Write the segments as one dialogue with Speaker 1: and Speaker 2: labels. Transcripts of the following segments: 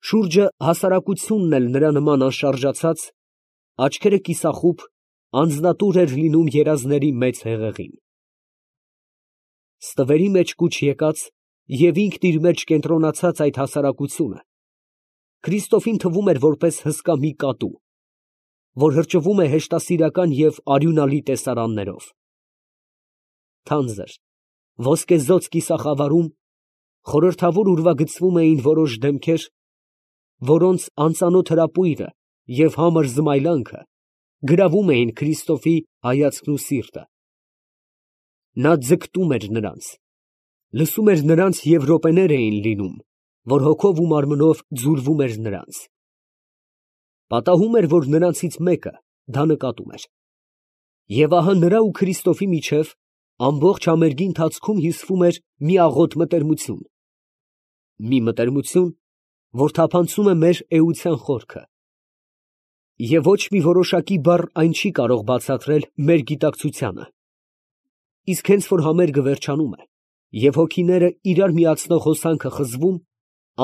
Speaker 1: Շուրջը հասարակությունն էլ նրա նման անշարժացած, աչքերը կիսախուբ, անձնատուր էր լինում երազների մեծ հեղեղին։ Ստվերի մեջ կուչ եկած և ինքն իր մեջ կենտրոնացած այդ հասարակությունը Քրիստոֆին թվում էր որպես հսկա մի կատու, որ հրճվում է հեշտասիրական և արյունալի տեսարաններով։ Թանձր, ոսկեզօծ կիսախավարում խորհրդավոր ուրվագծվում էին որոշ դեմքեր, որոնց անծանոթ հրապույրը և համր զմայլանքը գրավում էին Քրիստոֆի հայացքն ու սիրտը։ Նա ձգտում էր նրանց, լսում էր նրանց և րոպեներ էին լինում, որ հոգով ու մարմնով ձուլվում էր նրանց։ Պատահում էր, որ նրանցից մեկը դա նկատում էր։ Եվ ահա նրա ու Քրիստոֆի միջև ամբողջ համերգի ընթացքում հյուսվում էր մի աղոտ մտերմություն, մի մտերմություն, որ թափանցում է մեր էության խորքը։ Եվ ոչ մի որոշակի բառ այն չի կարող բացատրել մեր գիտակցությանը։ Իսկ հենց որ համերգը վերջանում է, և հոգիները իրար միացնող հոսանքը խզվում,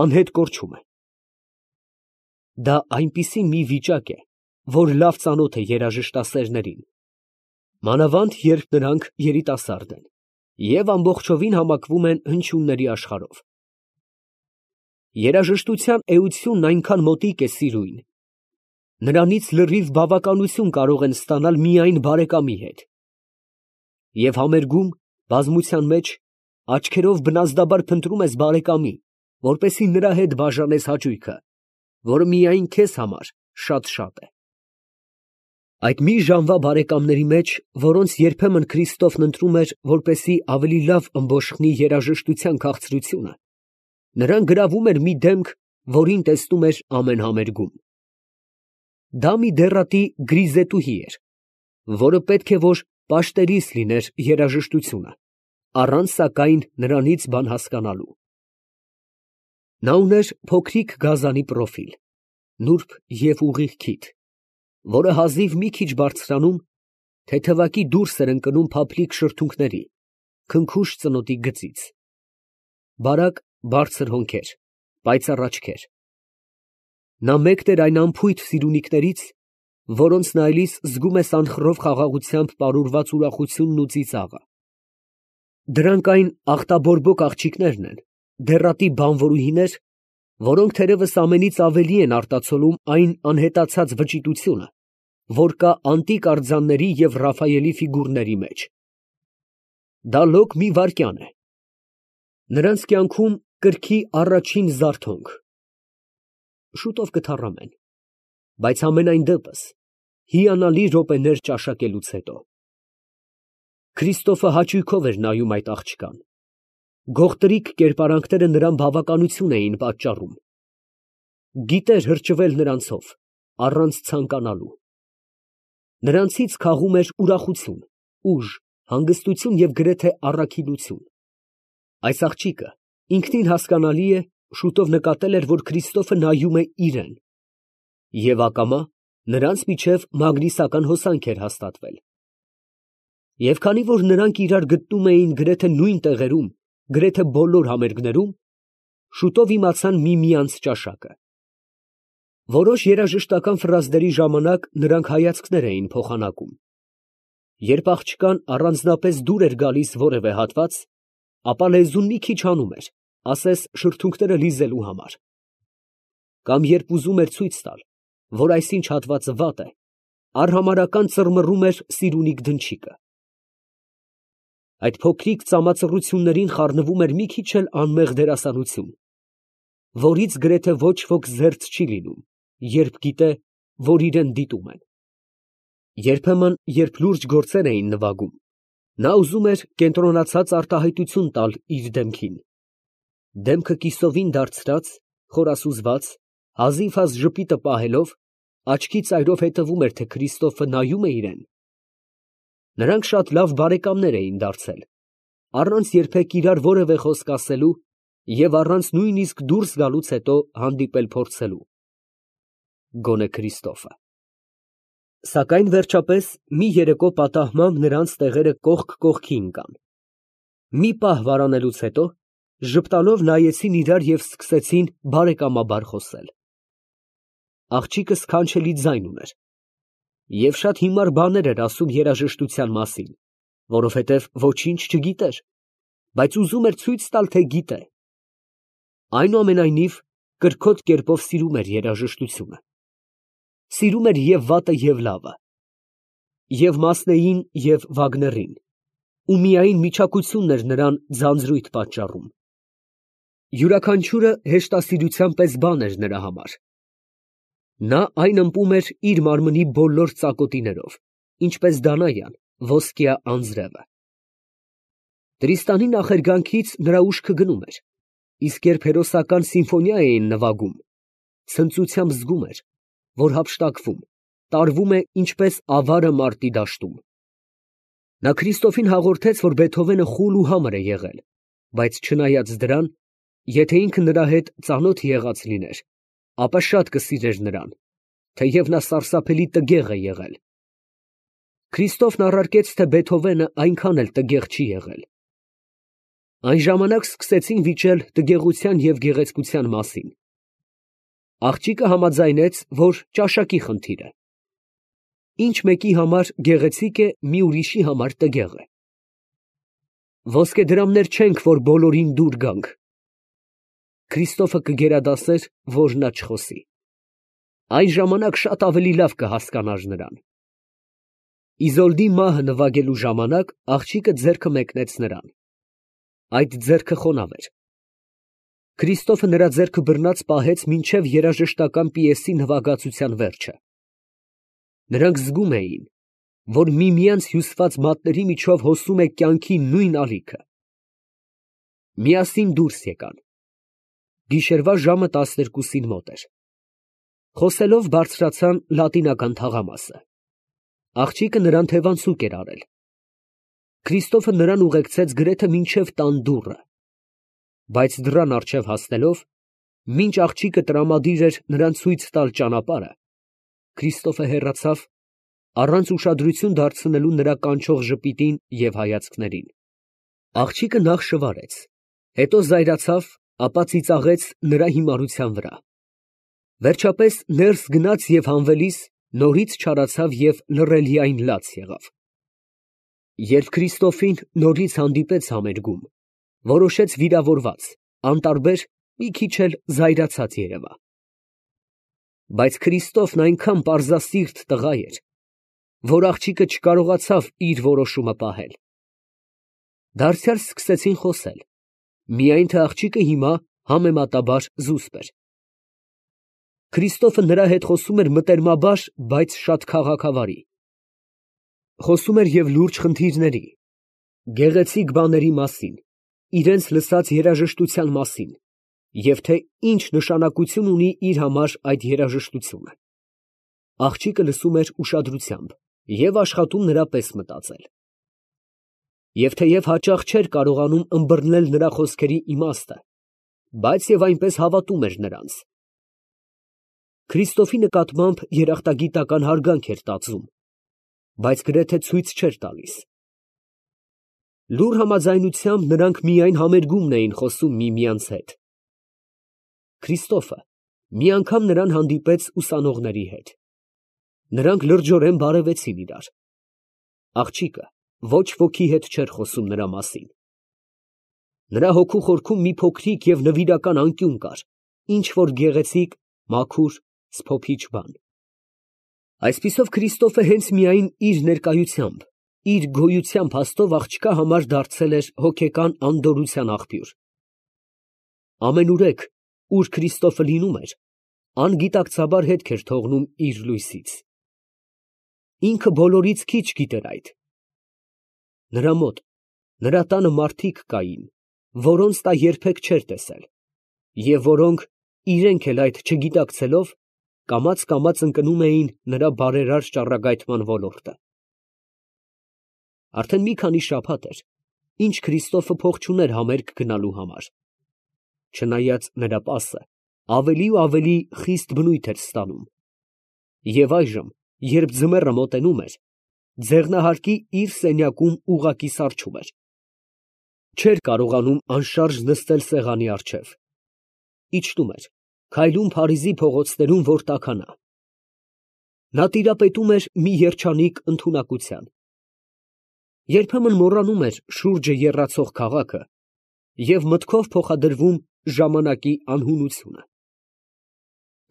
Speaker 1: անհետ կորչում է։ Դա այնպիսի մի վիճակ է, որ լավ ծանոթ է երաժշտասերներին, մանավանդ երբ նրանք երիտասարդ են և ամբողջովին համակվում են հնչյունների աշխարհով։ Երաժշտության էությունն այնքան մոտիկ է սիրույն, նրանից լրիվ բավականություն կարող են ստանալ միայն բարեկամի հետ։ Եվ համերգում, բազմության մեջ, աչքերով բնազդաբար փնտրում ես բարեկամի, որպեսզի նրա հետ բաժանես հաճույքը, որը միայն քեզ համար շատ է։ Այդ մի ժամվա բարեկամների մեջ, որոնց երբեմն Քրիստոֆն ընտրում էր, որպեսզի ավելի լավ ըմբոշխնի երաժշտության քաղցրությունը, նրան գրավում էր մի դեմք, որին տեսնում էր ամեն համերգում։ Դա մի դեռատի գրիզետուհի էր, որը պետք է որ պաշտերիս լիներ երաժշտությունը, առանց սակայն նրանից բան հասկանալու։ Նա ուներ փոքրիկ գազանի պրոֆիլ, նուրբ և ուղիղ քիթ, որը հազիվ մի քիչ բարձրանում, թեթևակի դուրս էր ընկնում փափլիկ շրթունքների, քնքուշ ծնոտի գծից, բարակ, բարձր հոնքեր, պայծառ աչքեր։ Նա մեկն էր այն անփույթ սիրունիկներից, որոնց նայելիս զգում ես անխռով խաղաղությամբ պարուրված ուրախությունն ու ծիծաղը։ Դրանք այն աղտաբորբոք աղջիկներն են, դեռատի բանվորուհիներ, որոնք թերևս ամենից ավելի են արտացոլում այն անհետացած վճիտությունը, որ կա անտիկ արձանների և Ռաֆայելի ֆիգուրների մեջ։ Դա լոկ մի վայրկյան է։ Նրանց կյանքում կրքի առաջին զարթոնք։ Շուտով կթառամեն, բայց համենայն դեպս հիանալի րոպեներ ճաշակելուց հետո։ Քրիստոֆը հաճույքով էր նայում այդ աղջկան։ Գողտրիկ կերպարանքները նրան բավականություն էին պատճառում։ Գիտեր հրճվել նրանցով, առանց ցանկանալու։ Նրանցից քաղում էր ուրախություն, ուժ, հանգստություն և գրեթե առաքինություն։ Այս աղջիկը, ինքնին հասկանալի է, շուտով նկատել էր, որ Քրիստոֆը նայում է իրան, և ակամա նրանց միջև մագնիսական հոսանք էր հաստատվել։ Եվ քանի որ նրանք իրար գտնում էին գրեթե նույն տեղերում, գրեթե բոլոր համերգներում, շուտով իմացան միմյանց ճաշակը։ Որոշ երաժշտական ֆրազների ժամանակ նրանք հայացքներ էին փոխանակում։ Երբ աղջկան առանձնապես դուր էր գալիս որևէ հատված, ապա լեզուն մի քիչ հանում էր, ասես շրթունքները լիզելու համար։ Կամ երբ ուզում էր ցույց տալ, որ այսինչ հատվածը վատ է, արհամարհական ծռմռում էր սիրունիկ դնչիկը։ Այդ փոքրիկ ծամածռություններին խառնվում էր մի քիչ էլ անմեղ դերասանություն, որից գրեթե ոչ ոք զերծ չի լինում, երբ գիտե, որ իրան դիտում են։ Երբեմն, երբ լուրջ գործեր էին նվագում, նա ուզում էր կենտրոնացած արտահայտություն տալ իր դեմքին։ Դեմքը կիսովին դարձրած, խորասուզված, հազիվ ժպիտը պահելով, աչքի ծայրով հետևում էր, թե Քրիստոֆը նայում է իրան։ Նրանք շատ լավ բարեկամներ էին դարձել, առանց երբեք իրար որևէ խոսք ասելու և առանց նույնիսկ դուրս գալուց հետո հանդիպել փորձելու։ Գոնե Քրիստոֆը։ Սակայն վերջապես մի երեկո պատահմամբ նրանց տեղերը կողք կողքի ընկան։ Մի պահ վարանելուց հետո Ժպտալով նայեցին իրար և սկսեցին բարեկամաբար խոսել։ Աղջիկը սքանչելի ձայն ուներ և շատ հիմար բաներ էր ասում երաժշտության մասին, որովհետև ոչինչ չգիտեր, բայց ուզում էր ցույց տալ, թե գիտե։ Այնուամենայնիվ, կրքոտ կերպով սիրում էր երաժշտությունը։ Սիրում էր և վատը, և լավը, և Մասնեին, և Վագներին, ու միայն միչակությունն էր նրան ձանձրույթ պատճառում։ Յուրաքանչյուրը հեշտասիրության պես բան էր նրա համար։ Նա այն ըմպում էր իր մարմնի բոլոր ծակոտիներով, ինչպես Դանայան ոսկյա անձրևը։ Տրիստանի նախերգանքից նրա ուշքը գնում էր, իսկ երբ հերոսական սիմֆոնիա էին նվագում, ցնծությամբ զգում էր, որ հափշտակվում, տարվում է ինչպես ավարը մարտի դաշտում։ Նա Քրիստոֆին հաղորդեց, որ Բեթհովենը խուլ ու համր է եղել, բայց չնայած դրան, եթե ինքը նրա հետ ծանոթ եղած լիներ, ապա շատ կսիրեր նրան, թեև նա սարսափելի տգեղ է եղել։ Քրիստոֆն առարկեց, թե Բեթհովենը այնքան էլ տգեղ չի եղել։ Այն ժամանակ սկսեցին վիճել տգեղության և գեղեցկության մասին։ Աղջիկը համաձայնեց, որ ճաշակի խնդիր է։ Ինչ մեկի համար գեղեցիկ է, մի ուրիշի համար տգեղ է։ Ոսկեդրամներ չենք, որ բոլորին դուր գանք։ Քրիստոֆը կգերադասեր, որ նա չխոսի։ Այն ժամանակ շատ ավելի լավ կհասկանար նրան։ Իզոլդի մահը նվագելու ժամանակ աղջիկը ձեռքը մեկնեց նրան։ Այդ ձեռքը խոնավ էր։ Քրիստոֆը նրա ձեռքը բռնած պահեց մինչև երաժշտական պիեսի նվագածության վերջը։ Նրանք զգում էին, որ միմյանց հյուսված մատների միջով հոսում է կյանքի նույն ալիքը։ Միասին դուրս եկան։ Գիշերվա ժամը 12-ին մոտ էր։ Խոսելով բարձրացան լատինական թաղամասը։ Աղջիկը նրան թևանցուկ էր արել։ Քրիստոֆը նրան ուղեկցեց գրեթե մինչև տան դուռը, բայց դռան առջև հասնելով, մինչ աղջիկը տրամադիր էր նրան ցույց տալ ճանապարհը, Քրիստոֆը հեռացավ, առանց ուշադրություն դարձնելու նրա կանչող ժպիտին և հայացքներին։ Աղջիկը նախ շվարեց, հետո զայրացավ, ապա ծիծաղեց նրա հիմարության վրա։ Վերջապես ներս գնաց և հանվելիս նորից չարացավ և լռելիայն լաց եղավ։ Երբ Քրիստոֆին նորից հանդիպեց համերգում, որոշեց վիրավորված, անտարբեր, մի քիչ էլ զայրացած երևա։ Բայց Քրիստոֆն այնքան պարզասիրտ տղա էր, որ աղջիկը չկարողացավ իր որոշումը պահել։ Դարձյալ սկսեցին խոսել, միայն թե աղջիկը հիմա համեմատաբար զուսպ էր։ Քրիստոֆը նրա հետ խոսում էր մտերմաբար, բայց շատ քաղաքավարի։ Խոսում էր և լուրջ խնդիրների, գեղեցիկ բաների մասին, իրենց լսած երաժշտության մասին, և թե ինչ նշանակություն ունի իր համար այդ երաժշտությունը։ Աղջիկը լսում էր ուշադրությամբ և աշխատում նրա պես մտածել։ Եվ թեև հաճախ չէր կարողանում ըմբռնել նրա խոսքերի իմաստը, բայց և այնպես հավատում էր նրանց։ Քրիստոֆի նկատմամբ երախտագիտական հարգանք էր տածում, բայց գրեթե ցույց չէր տալիս։ Լուռ համաձայնությամբ նրանք միայն համերգումն էին խոսում միմյանց հետ։ Քրիստոֆը մի անգամ նրան հանդիպեց ուսանողների հետ։ Նրանք լրջորեն բարևեցին իրար։ Աղջիկը ոչ ոքի հետ չէր խոսում նրա մասին։ Նրա հոգու խորքում մի փոքրիկ և նվիրական անկյուն կար, ինչ որ գեղեցիկ, մաքուր, սփոփիչ բան։ Այսպիսով Քրիստոֆը հենց միայն իր ներկայությամբ, իր գոյության փաստով աղջկա համար դարձել էր հոգեկան անդորրության աղբյուր։ Ամենուրեք, ուր Քրիստոֆը լինում էր, անգիտակցաբար հետք էր թողնում իր լույսից։ Ինքը բոլորից քիչ գիտեր այդ։ Նրա մոտ, նրա տանը մարդիկ կային, որոնց նա երբեք չէր տեսել, և որոնք, իրենք էլ այդ չգիտակցելով, կամաց ընկնում էին նրա բարերար ճառագայթման ոլորտը։ Արդեն մի քանի շաբաթ էր, ինչ Քրիստոֆը փող չուներ համերգ գնալու համար, չնայած նրա պասը ավելի ու ավելի խիստ բնույթ էր ստանում, և այժմ, երբ ձմեռը մոտենում էր, ձեղնահարկի իր սենյակում ուղղակի սառչում էր։ Չէր կարողանում անշարժ նստել սեղանի առջև։ Իջնում էր, քայլում Փարիզի փողոցներում, որ տաքանա։ Նա տիրապետում էր մի երջանիկ ընդունակության։ Երբեմն մոռանում էր շուրջը եռացող քաղաքը և մտքով փոխադրվում ժամանակի անհունությունը։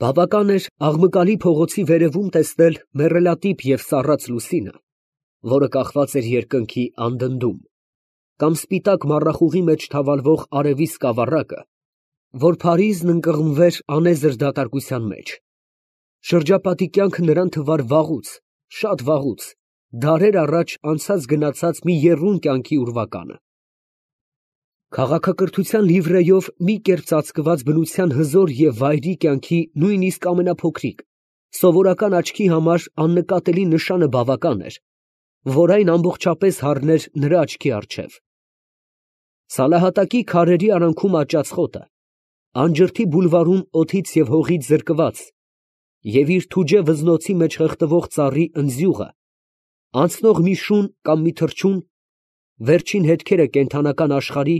Speaker 1: Բավական էր աղմկալի փողոցի վերևում տեսնել մեռելատիպ և սառած լուսինը, որը կախված էր երկնքի անդնդում, կամ սպիտակ մառախուղի մեջ թավալվող արևի սկավառակը, որ Փարիզն ընկղմվեր անեզր դատարկության մեջ։ Շրջապատի կյանքը նրան թվար վաղուց, շատ վաղուց, դարեր առաջ անցած֊գնացած մի եռուն կյանքի ուրվականը։ Քաղաքակրթության լիվրեյով մի կերպ ծածկված բնության հզոր և վայրի կյանքի նույնիսկ ամենափոքրիկ, սովորական աչքի համար աննկատելի նշանը բավական էր, որ այն ամբողջապես հառներ նրա աչքի առջև։ Սալահատակի քարերի արանքում աճած խոտը, անջրթի բուլվարում օդից և հողից զրկված և իր թուջե վզնոցի մեջ խեղդվող ծառի ընձյուղը, անցնող մի շուն կամ մի թռչուն, վերջին հետքերը կենդանական աշխարհի,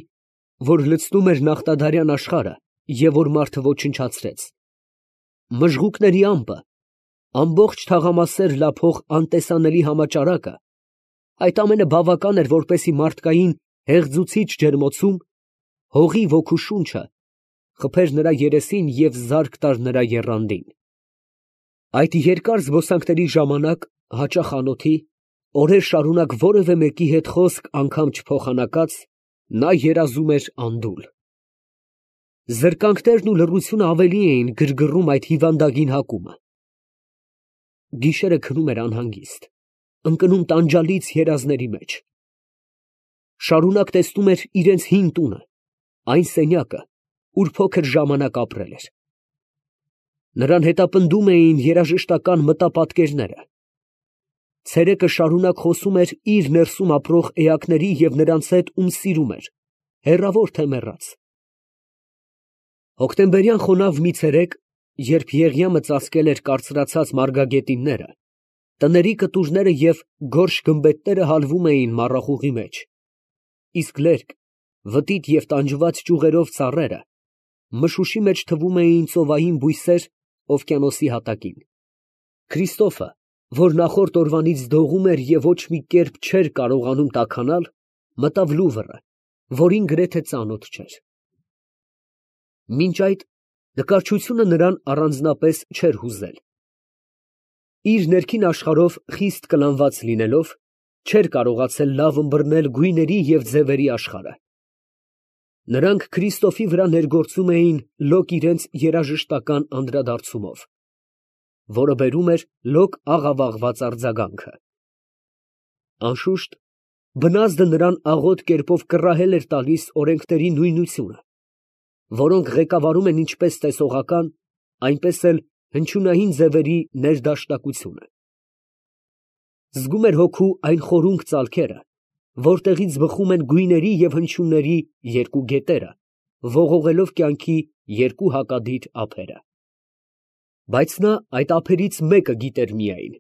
Speaker 1: որ լցնում էր նախտադարյան աշխարհը և որ մարդը ոչնչացրեց, մժղուկների ամպը, ամբողջ թաղամասեր լափող անտեսանելի համաճարակը, այդ ամենը բավական էր, որպեսզի մարդկային հեղձուցիչ ջերմոցում հողի ոգու շունչը խփեր նրա երեսին և զարկ տար նրա եռանդին։ Այդ երկար զբոսանքների ժամանակ հաճախ անոթի, օրեր շարունակ որևէ մեկի հետ խոսք անգամ չփոխանակած, նա երազում էր անդուլ։ Զրկանքներն ու լռությունը ավելի էին գրգռում այդ հիվանդագին հակումը։ Գիշերը քնում էր անհանգիստ, ընկնում տանջալից երազների մեջ։ Շարունակ տեսնում էր իրենց հին տունը, այն սենյակը, ուր փոքր ժամանակ ապրել էր։ Նրան հետապնդում էին երաժշտական մտապատկերները։ Ցերեկը շարունակ խոսում էր իր ներսում ապրող էակների և նրանց հետ, ում սիրում էր, հեռավոր թե մեռած։ Հոկտեմբերյան խոնավ մի ցերեկ, երբ Եղիամը ծածկել էր կարծրացած մարգագետինները, տների կտուրները և գորշ գմբեթները հալվում էին մառախուղի մեջ, իսկ լերկ, վտիտ և տանջված ճյուղերով ծառերը մշուշի մեջ թվում էին ծովային բույսեր օվկիանոսի հատակին, Քրիստոֆը, որ նախորդ օրվանից դողում էր և ոչ մի կերպ չէր կարողանում տաքանալ, մտավ Լուվրը, որին գրեթե ծանոթ չէր։ Մինչ այդ նկարչությունը նրան առանձնապես չէր հուզել։ Իր ներքին աշխարհով խիստ կլանված լինելով, չէր կարողացել լավ ըմբռնել գույների և ձևերի աշխարհը։ Նրանք Քրիստոֆի վրա ներգործում էին լոկ իրենց երաժշտական անդրադարձումով, որը բերում էր լոկ աղավաղված արձագանքը։ Անշուշտ, բնազդը նրան աղոտ կերպով կռահել էր տալիս օրենքների նույնությունը, որոնք ղեկավարում են ինչպես տեսողական, այնպես էլ հնչյունային ձևերի ներդաշնակությունը։ Զգում էր հոգու այն խորունկ ծալքերը, որտեղից բխում են գույների և հնչյունների երկու գետերը, ողողելով կյանքի երկու հակադիր ափերը։ Բայց նա այդ ափերից մեկը գիտեր միայն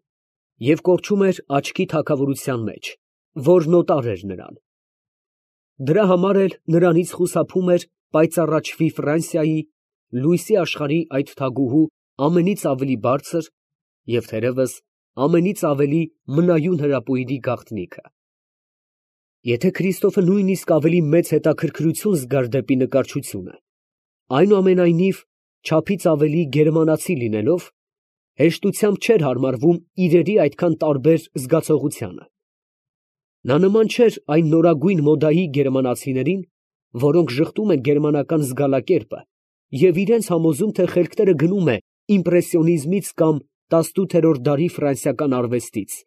Speaker 1: և կորչում էր աչքի թագավորության մեջ, որն օտար էր նրան։ Դրա համար էլ նրանից խուսափում էր պայծառաչվի Ֆրանսիայի, լույսի աշխարհի այդ թագուհու ամենից ավելի բարձր և թերևս ամենից ավելի մնայուն հրապույրի գաղտնիքը։ Եթե Քրիստոֆը նույնիսկ ավելի մեծ հետաքրքրություն զգար դեպի նկարչությունը, այնուամենայնիվ, չափից ավելի գերմանացի լինելով, հեշտությամբ չէր հարմարվում իրերի այդքան տարբեր զգացողությանը։ Նա նման չէր այն նորագույն մոդայի գերմանացիներին, որոնք ժխտում են գերմանական զգալակերպը և իրենց համոզում, թե խելքները գնում է իմպրեսիոնիզմից կամ 18-րդ դարի ֆրանսիական արվեստից,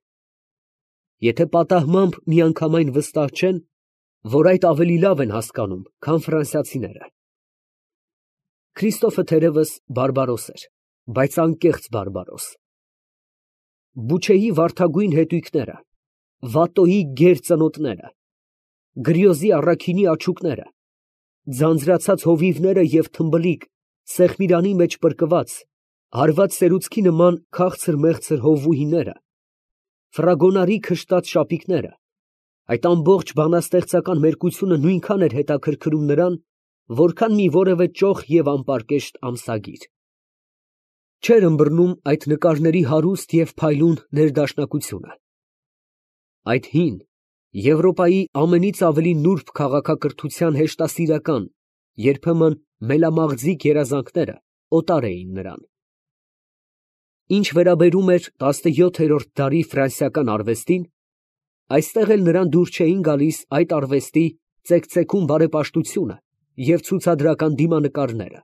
Speaker 1: եթե պատահմամբ միանգամայն վստահ չեն, որ այդ ավելի լավ են հասկանում, քան ֆրանսիացիները։ Քրիստոֆը թերևս բարբարոս էր, բայց անկեղծ բարբարոս։ Բուչեի վարդագույն հետույքները, Վատոյի գեր ծնոտները, Գրիոզի առաքինի աչուկները, ձանձրացած հովիվները և թմբլիկ, սեղմիրանի մեջ պրկված, հարված սերուցքի նման քաղցր մեղցր հովուհիները, ֆրագոնարի քշտած շապիկները, Այդ ամբողջ բանաստեղծական մերկությունը նույնքան էր հետաքրքրում նրան, որքան մի որևէ ճոխ և անպարկեշտ ամսագիր։ Չէր ըմբռնում այդ նկարների հարուստ և փայլուն ներդաշնակությունը։ Այդ հին, Եվրոպայի ամենից ավելի նուրբ քաղաքակրթության հեշտասիրական, երբեմն մելամաղձիկ երազանքները օտար էին նրան։ Ինչ վերաբերում էր 17-րդ դարի ֆրանսիական արվեստին, այստեղ էլ նրան դուր չէին գալիս այդ արվեստի ծեքծեքուն բարեպաշտությունը և ցուցադրական դիմանկարները։